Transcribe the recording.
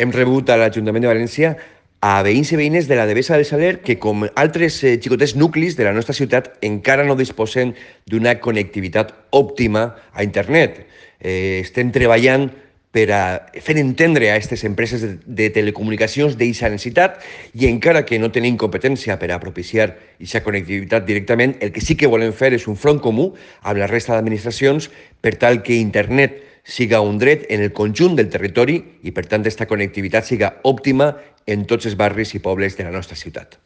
Hem rebut a l'Ajuntament de València a veïns i veïnes de la Devesa del Saler que, com altres xicotets nuclis de la nostra ciutat, encara no disposen d'una connectivitat òptima a internet. Estem treballant per a fer entendre a aquestes empreses de telecomunicacions d'aquesta necessitat i encara que no tenim competència per a propiciar aquesta connectivitat directament, el que sí que volem fer és un front comú amb la resta d'administracions per tal que internet siga un dret en el conjunt del territori i, per tant, aquesta connectivitat siga òptima en tots els barris i pobles de la nostra ciutat.